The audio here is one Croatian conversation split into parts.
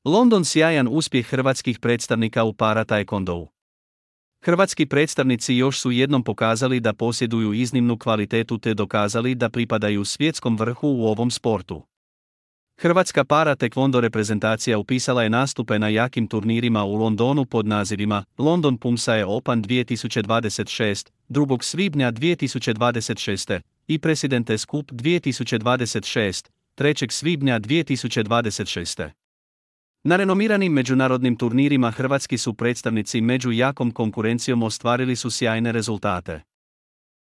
London sjajan uspjeh hrvatskih predstavnika u para taekwondou. Hrvatski predstavnici još su jednom pokazali da posjeduju iznimnu kvalitetu te dokazali da pripadaju svjetskom vrhu u ovom sportu. Hrvatska para taekwondo reprezentacija upisala je nastupe na jakim turnirima u Londonu pod nazivima London Pumsae Open 2026, 2. svibnja 2026 i Presidentes Cup 2026, 3. svibnja 2026. Na renomiranim međunarodnim turnirima hrvatski su predstavnici među jakom konkurencijom ostvarili su sjajne rezultate.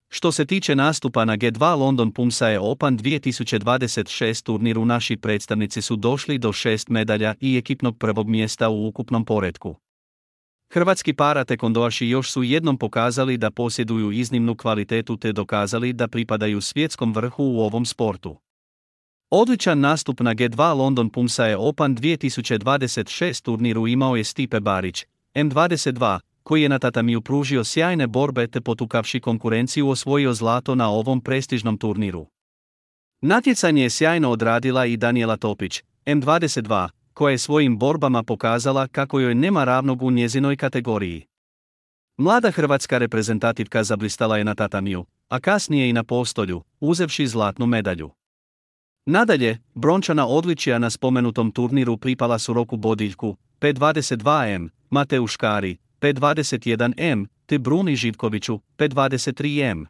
Što se tiče nastupa na G2 London Pumsae Open 2026 turniru, naši predstavnici su došli do 6 medalja i ekipnog prvog mjesta u ukupnom poretku. Hrvatski para taekwondoaši još su jednom pokazali da posjeduju iznimnu kvalitetu te dokazali da pripadaju svjetskom vrhu u ovom sportu. Odličan nastup na G2 London Pumsae Open 2026 turniru imao je Stipe Barić, M22, koji je na tatamiju pružio sjajne borbe te potukavši konkurenciju osvojio zlato na ovom prestižnom turniru. Natjecanje je sjajno odradila i Danijela Topić, M22, koja je svojim borbama pokazala kako joj nema ravnog u njezinoj kategoriji. Mlada hrvatska reprezentativka zablistala je na tatamiju, a kasnije i na postolju, uzevši zlatnu medalju. Nadalje, brončana odličja na spomenutom turniru pripala su Roku Bodiljku, P22M, Mateu Škari, P21M, te Bruni Živkoviću, P23M.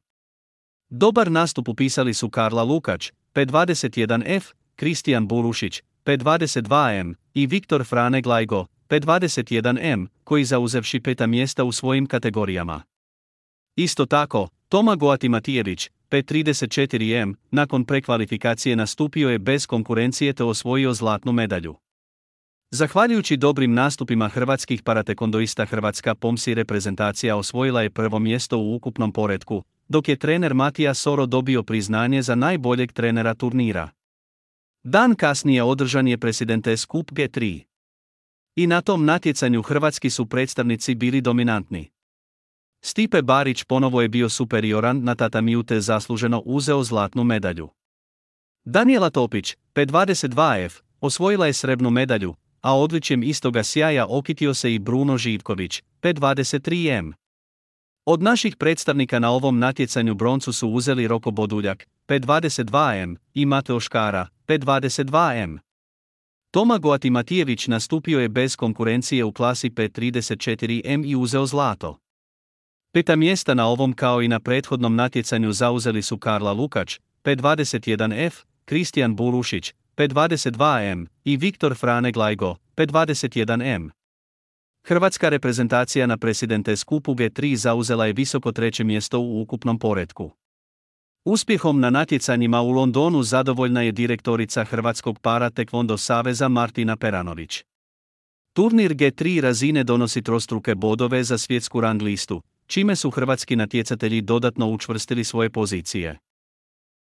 Dobar nastup upisali su Karla Lukač, P21F, Kristijan Burušić, P22M i Viktor Frane Glajgo, P21M, koji zauzevši 5. mjesta u svojim kategorijama. Isto tako, Toma Goatimatijević, P34M, nakon prekvalifikacije nastupio je bez konkurencije te osvojio zlatnu medalju. Zahvaljujući dobrim nastupima hrvatskih paratekondoista, Hrvatska pomsi reprezentacija osvojila je prvo mjesto u ukupnom poretku, dok je trener Matija Soro dobio priznanje za najboljeg trenera turnira. Dan kasnije održan je Presidentes Cup G3. I na tom natjecanju hrvatski su predstavnici bili dominantni. Stipe Barić ponovo je bio superioran na tatamiju te zasluženo uzeo zlatnu medalju. Danijela Topić, P22F, osvojila je srebrnu medalju, a odličjem istoga sjaja okitio se i Bruno Živković, P23M. Od naših predstavnika na ovom natjecanju broncu su uzeli Roko Boduljak, P22M, i Mateo Škara, P22M. Toma Goatimatijević nastupio je bez konkurencije u klasi P34M i uzeo zlato. 5. mjesta na ovom kao i na prethodnom natjecanju zauzeli su Karla Lukač, P21F, Kristijan Burušić, P22M i Viktor Frane Glajgo, P21M. Hrvatska reprezentacija na Presidentes Cupu G3 zauzela je visoko 3. mjesto u ukupnom poretku. Uspjehom na natjecanjima u Londonu zadovoljna je direktorica Hrvatskog para taekwondo saveza Martina Peranović. Turnir G3 razine donosi trostruke bodove za svjetsku rang listu, čime su hrvatski natjecatelji dodatno učvrstili svoje pozicije.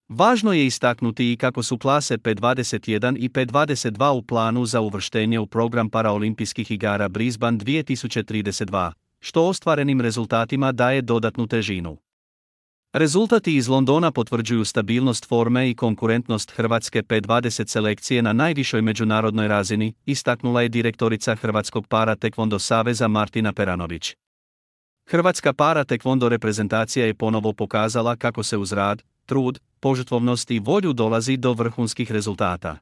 Važno je istaknuti i kako su klase P21 i P22 u planu za uvrštenje u program paraolimpijskih igara Brisbane 2032, što ostvarenim rezultatima daje dodatnu težinu. Rezultati iz Londona potvrđuju stabilnost forme i konkurentnost hrvatske P20 selekcije na najvišoj međunarodnoj razini, istaknula je direktorica Hrvatskog para taekwondo saveza Martina Peranović. Hrvatska para taekwondo reprezentacija je ponovo pokazala kako se uz rad, trud, požrtvovnost i volju dolazi do vrhunskih rezultata.